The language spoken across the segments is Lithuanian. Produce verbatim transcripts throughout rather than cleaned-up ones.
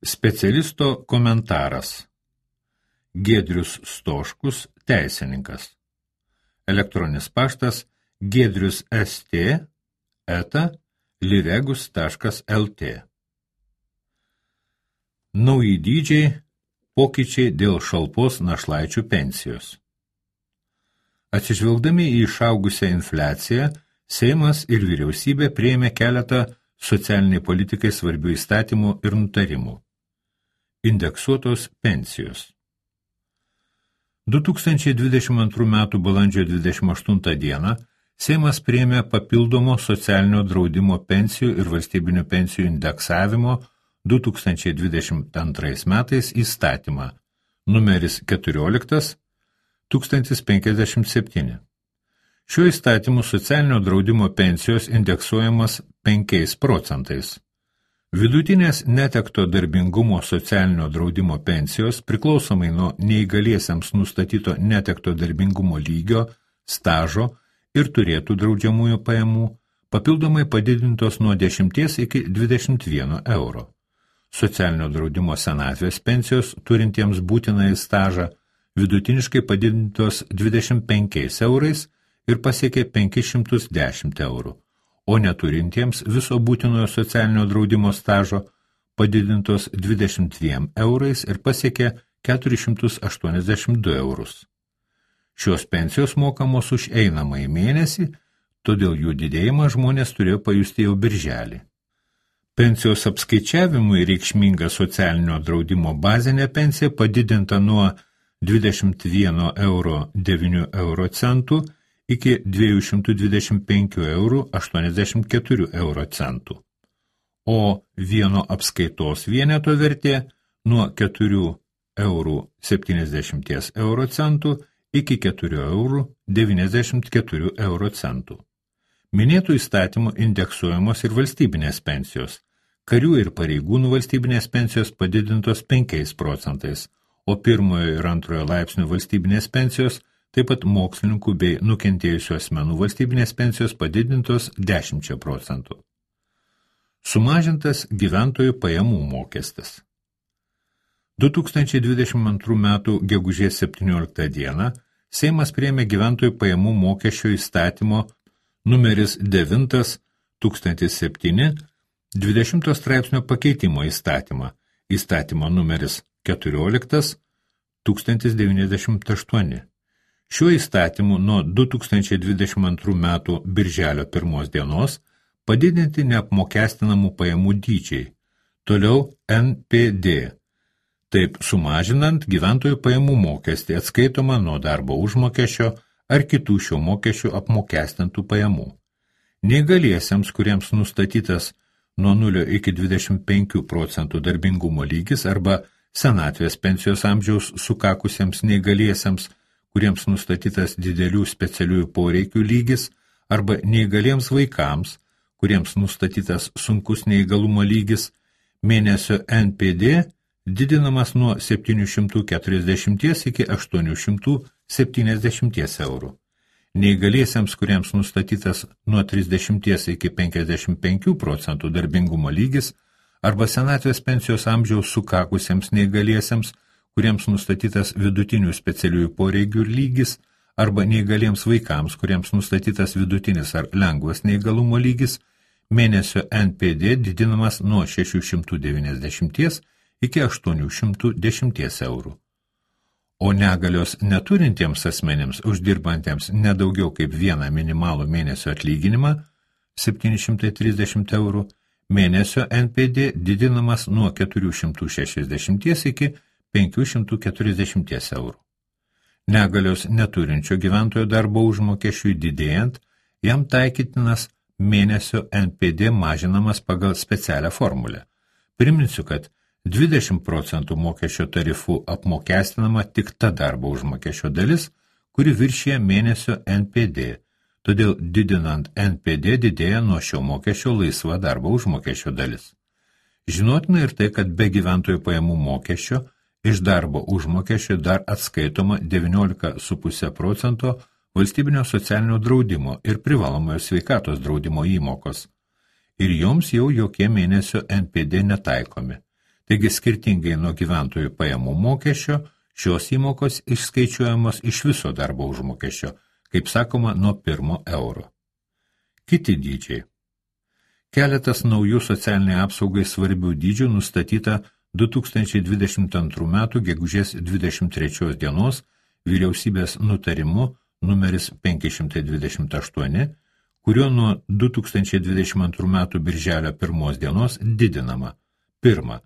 Specialisto komentaras. Giedrius Stoškus, teisininkas. Elektroninis paštas giedrius st eta liregus taškas lt. Nauji dydžiai, pokyčiai dėl šalpos našlaičių pensijos. Atsižvelgdami į išaugusią infliaciją, Seimas ir vyriausybė priėmė keletą socialiniai politikai svarbių įstatymų ir nutarimų. Indeksuotos pensijos. du tūkstančiai dvidešimt antrų metų balandžio dvidešimt aštuntą dieną Seimas priėmė papildomo socialinio draudimo pensijų ir valstybinių pensijų indeksavimo du tūkstančiai dvidešimt antrais metais įstatymą, numeris keturioliktas tūkstantis penkiasdešimt septyni. Šiuo įstatymu socialinio draudimo pensijos indeksuojamas penkiais procentais. Vidutinės netekto darbingumo socialinio draudimo pensijos priklausomai nuo neįgaliesiems nustatyto netekto darbingumo lygio, stažo ir turėtų draudžiamųjų pajamų, papildomai padidintos nuo dešimties iki dvidešimt vieno euro. Socialinio draudimo senatvės pensijos turintiems būtinąjį stažą vidutiniškai padidintos dvidešimt penkiais eurais ir pasiekė penkis šimtus dešimt eurų, o neturintiems viso būtinojo socialinio draudimo stažo padidintos dvidešimt dviem eurais ir pasiekė keturis šimtus aštuoniasdešimt du eurus. Šios pensijos mokamos už einamąjį mėnesį, todėl jų didėjimą žmonės turėjo pajusti jau birželį. Pensijos apskaičiavimui reikšminga socialinio draudimo bazinė pensija padidinta nuo dvidešimt vieno euro devynių euro centų iki dviejų šimtų dvidešimt penkių eurų aštuoniasdešimt keturių euro centų, o vieno apskaitos vieneto vertė nuo keturių eurų septyniasdešimt euro centų iki keturių eurų devyniasdešimt keturių euro centų. Minėtų įstatymų indeksuojamos ir valstybinės pensijos, karių ir pareigūnų valstybinės pensijos padidintos penkiais procentais, o pirmojo ir antrojo laipsnio valstybinės pensijos, taip pat mokslininkų bei nukentėjusių asmenų valstybinės pensijos padidintos dešimčia procentų. Sumažintas gyventojų pajamų mokestis. du tūkstančiai dvidešimt antrų metų gegužės septynioliktą dieną Seimas priėmė gyventojų pajamų mokesčio įstatymo numeris devintas tūkstantis septyni dvidešimto straipsnio pakeitimo įstatymą, įstatymo numeris keturioliktas tūkstantis devyniasdešimt aštuoni. Šiuo įstatymu nuo du tūkstančiai dvidešimt antrų metų birželio pirmos dienos padidinti neapmokestinamų pajamų dydžiai, toliau en pe de, taip sumažinant gyventojų pajamų mokestį atskaitomą nuo darbo užmokesčio ar kitų šio mokesčių apmokestintų pajamų. Neįgaliesiems, kuriems nustatytas nuo nulio iki dvidešimt penkių procentų darbingumo lygis arba senatvės pensijos amžiaus sukakusiems neįgaliesiems, kuriems nustatytas didelių specialiųjų poreikių lygis, arba neįgaliems vaikams, kuriems nustatytas sunkus neįgalumo lygis, mėnesio en pe de didinamas nuo septynių šimtų keturiasdešimt iki aštuonių šimtų septyniasdešimt eurų. Neįgaliesiems, kuriems nustatytas nuo trisdešimt iki penkiasdešimt penkių procentų darbingumo lygis, arba senatvės pensijos amžiaus sukakusiems neįgaliesiems, kuriems nustatytas vidutinių specialiųjų poreikių lygis, arba neįgaliems vaikams, kuriems nustatytas vidutinis ar lengvas neįgalumo lygis, mėnesio en pe de didinamas nuo šešių šimtų devyniasdešimt iki aštuonių šimtų dešimt eurų. O negalios neturintiems asmenims, uždirbantiems nedaugiau kaip vieną minimalų mėnesio atlyginimą, septyni šimtai trisdešimt eurų, mėnesio en pe de didinamas nuo keturių šimtų šešiasdešimt iki penkių šimtų keturiasdešimt eurų. Negalios neturinčio gyventojo darbo užmokesčiui didėjant, jam taikytinas mėnesio en pe de mažinamas pagal specialią formulę. Priminsiu, kad dvidešimt procentų mokesčio tarifų apmokestinama tik ta darbo užmokesčio dalis, kuri viršyje mėnesio en pe de, todėl didinant en pe de didėja nuo šio mokesčio laisva darbo užmokesčio dalis. Žinotina ir tai, kad be gyventojų pajamų mokesčio iš darbo užmokesčio dar atskaitoma devyniolika su puse procento valstybinio socialinio draudimo ir privalomojo sveikatos draudimo įmokos, ir joms jau jokie mėnesio en pe de netaikomi. Taigi skirtingai nuo gyventojų pajamų mokesčio, šios įmokos išskaičiuojamos iš viso darbo užmokesčio, kaip sakoma, nuo pirmo euro. Kiti dydžiai. Keletas naujų socialiniai apsaugai svarbių dydžių nustatyta du tūkstančiai dvidešimt antrų metų gegužės dvidešimt trečios dienos vyriausybės nutarimu numeris penki šimtai dvidešimt aštuoni, kuriuo nuo du tūkstančiai dvidešimt antrų metų birželio pirmos dienos didinama. Pirma,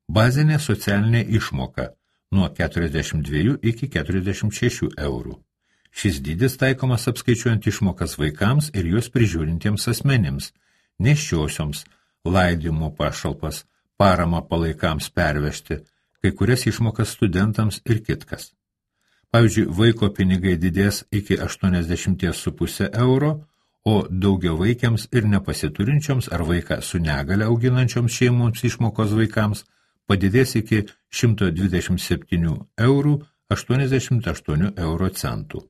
bazinė socialinė išmoka nuo keturiasdešimt dviejų iki keturiasdešimt šešių eurų. Šis dydis taikomas apskaičiuojant išmokas vaikams ir juos prižiūrintiems asmenims, nėščiosioms, laidojimo pašalpas, paramą palaikams pervežti, kai kurias išmokas studentams ir kitkas. Pavyzdžiui, vaiko pinigai didės iki aštuoniasdešimt su puse euro, o daugiavaikiams ir nepasiturinčioms ar vaiką su negale auginančioms šeimoms išmokos vaikams padidės iki šimto dvidešimt septynių eurų aštuoniasdešimt aštuonių euro centų.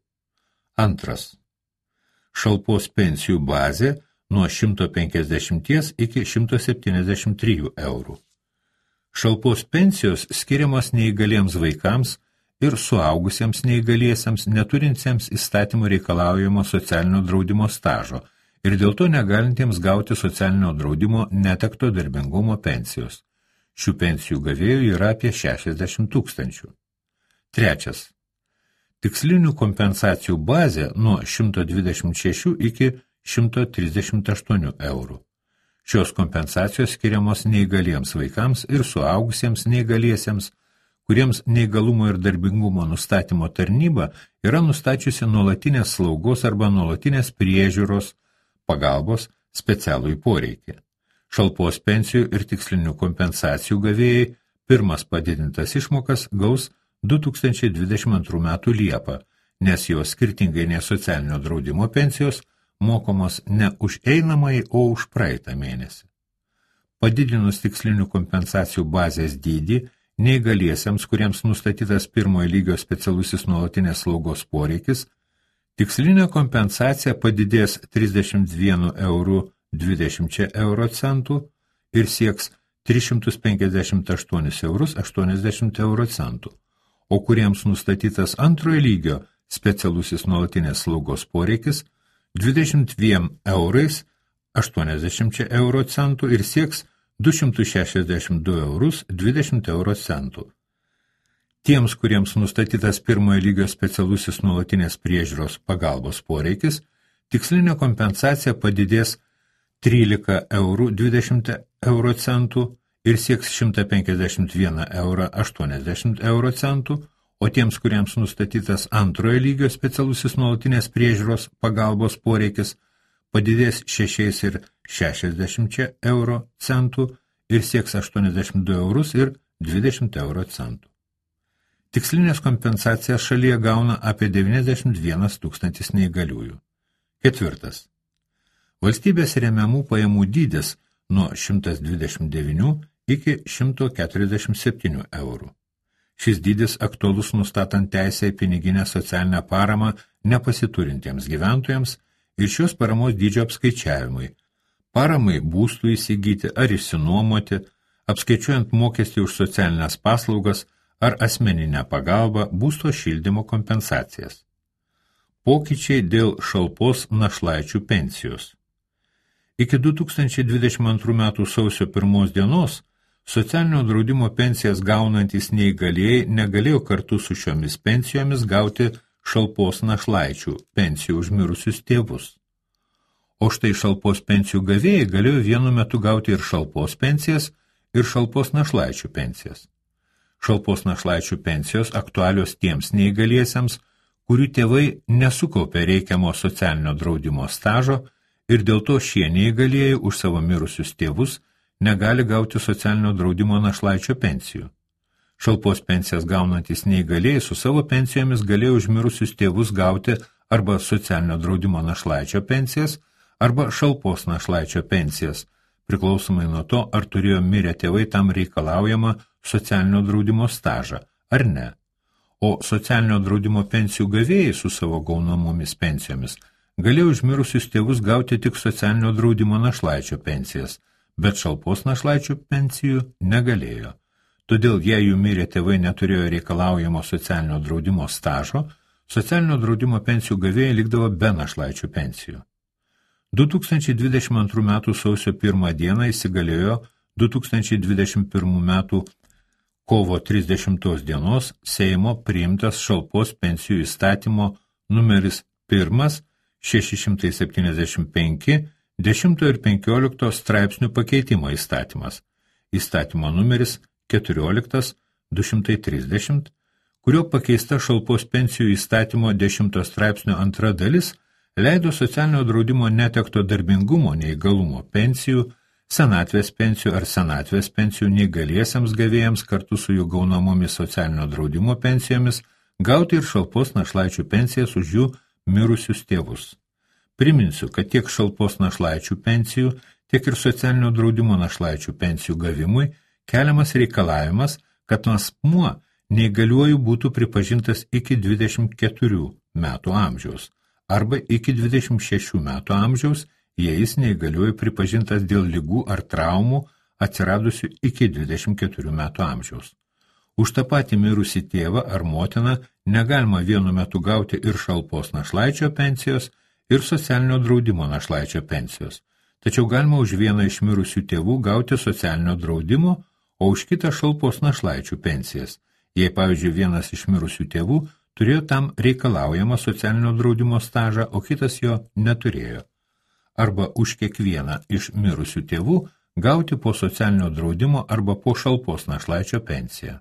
Antras. Šalpos pensijų bazė nuo šimto penkiasdešimt iki šimto septyniasdešimt trijų eurų. Šalpos pensijos skiriamos neįgaliems vaikams ir suaugusiems neįgaliesiems neturintiems įstatymų reikalaujamo socialinio draudimo stažo ir dėl to negalintiems gauti socialinio draudimo netekto darbingumo pensijos. Šių pensijų gavėjų yra apie šešiasdešimt tūkstančių. Trečias. Tikslinių kompensacijų bazė nuo šimto dvidešimt šešių iki šimto trisdešimt aštuonių eurų. Šios kompensacijos skiriamos neįgaliems vaikams ir suaugusiems neįgaliesiems, kuriems neįgalumo ir darbingumo nustatymo tarnyba yra nustačiusi nuolatinės slaugos arba nuolatinės priežiūros pagalbos specialųjį poreikį. Šalpos pensijų ir tikslinių kompensacijų gavėjai pirmas padidintas išmokas gaus du tūkstančiai dvidešimt antrų metų Liepą, nes jos skirtingai nei socialinio draudimo pensijos mokomos ne už einamąjį, o už praeitą mėnesį. Padidinus tikslinių kompensacijų bazės dydį, neįgaliesiems, kuriems nustatytas pirmojo lygio specialusis nuolatinės slaugos poreikis, tikslinė kompensacija padidės trisdešimt vienu euru dvidešimt euro centų ir sieks tris šimtus penkiasdešimt aštuonis eurus aštuoniasdešimt euro centų, o kuriems nustatytas antrojo lygio specialusis nuolatinės slaugos poreikis dvidešimt dviem eurais aštuoniasdešimt euro centų ir sieks du šimtus šešiasdešimt du eurus dvidešimt euro centų. Tiems, kuriems nustatytas pirmojo lygio specialusis nuolatinės priežiūros pagalbos poreikis, tikslinė kompensacija padidės trylika eurų dvidešimt euro centų ir sieks šimtą penkiasdešimt vieną eurą aštuoniasdešimt euro centų, o tiems, kuriems nustatytas antrojo lygio specialusis nuolatinės priežiūros pagalbos poreikis, padidės šešiais ir šešiasdešimt euro centų ir sieks aštuoniasdešimt du eurus ir dvidešimt euro centų. Tikslinės kompensacijas šalyje gauna apie devyniasdešimt vienas tūkstantis neįgaliųjų. Ketvirtas. Valstybės remiamų pajamų dydis nuo šimtas dvidešimt devynių iki šimto keturiasdešimt septynių eurų. Šis dydis aktualus nustatant teisę į piniginę socialinę paramą nepasiturintiems gyventojams ir šios paramos dydžio apskaičiavimui, paramai būstų įsigyti ar išsinuomoti, apskaičiuojant mokestį už socialinės paslaugas ar asmeninę pagalbą būsto šildymo kompensacijas. Pokyčiai dėl šalpos našlaičių pensijos. Iki du tūkstančiai dvidešimt antrų metų sausio pirmos dienos socialinio draudimo pensijas gaunantys neįgalieji negalėjo kartu su šiomis pensijomis gauti šalpos našlaičių pensijų už mirusius tėvus. O štai šalpos pensijų gavėjai galėjo vienu metu gauti ir šalpos pensijas, ir šalpos našlaičių pensijas. Šalpos našlaičių pensijos aktualios tiems neįgaliesiems, kurių tėvai nesukaupė reikiamo socialinio draudimo stažo ir dėl to šie neįgalieji už savo mirusius tėvus negali gauti socialinio draudimo našlaičio pensijų. Šalpos pensijas gaunantys neįgalieji su savo pensijomis galėjo už mirusius tėvus gauti arba socialinio draudimo našlaičio pensijas, arba šalpos našlaičio pensijas, priklausomai nuo to, ar turėjo mirę tėvai tam reikalaujama socialinio draudimo stažą, ar ne. O socialinio draudimo pensijų gavėjai su savo gaunamomis pensijomis galėjo už mirusius tėvus gauti tik socialinio draudimo našlaičio pensijas, bet šalpos našlaičių pensijų negalėjo. Todėl jei jų mirę tėvai neturėjo reikalaujamo socialinio draudimo stažo, socialinio draudimo pensijų gavėjai likdavo be našlaičių pensijų. du tūkstančiai dvidešimt antrų metų sausio pirmą dieną įsigalėjo du tūkstančiai dvidešimt pirmų metų kovo trisdešimtos dienos Seimo priimtas šalpos pensijų įstatymo numeris pirmas šeši šimtai septyniasdešimt penki dešimto ir penkiolikto straipsnių pakeitimo įstatymas, įstatymo numeris keturioliktas du šimtai trisdešimt, kurio pakeista šalpos pensijų įstatymo dešimto straipsnio antra dalis leido socialinio draudimo netekto darbingumo neįgalumo pensijų, senatvės pensijų ar senatvės pensijų neįgaliesiems gavėjams kartu su jų gaunamomis socialinio draudimo pensijomis gauti ir šalpos našlaičių pensijas už jų mirusius tėvus. Priminsiu, kad tiek šalpos našlaičių pensijų, tiek ir socialinio draudimo našlaičių pensijų gavimui keliamas reikalavimas, kad asmuo neįgaliuoju būtų pripažintas iki dvidešimt keturių metų amžiaus arba iki dvidešimt šešių metų amžiaus, jei jis neįgaliuoju pripažintas dėl ligų ar traumų atsiradusių iki dvidešimt keturių metų amžiaus. Už tą patį mirusį tėvą ar motiną negalima vienu metu gauti ir šalpos našlaičio pensijos, ir socialinio draudimo našlaičio pensijos. Tačiau galima už vieną iš mirusių tėvų gauti socialinio draudimo, o už kitą šalpos našlaičių pensijas, jei, pavyzdžiui, vienas iš mirusių tėvų turėjo tam reikalaujamą socialinio draudimo stažą, o kitas jo neturėjo. Arba už kiekvieną iš mirusių tėvų gauti po socialinio draudimo arba po šalpos našlaičio pensiją.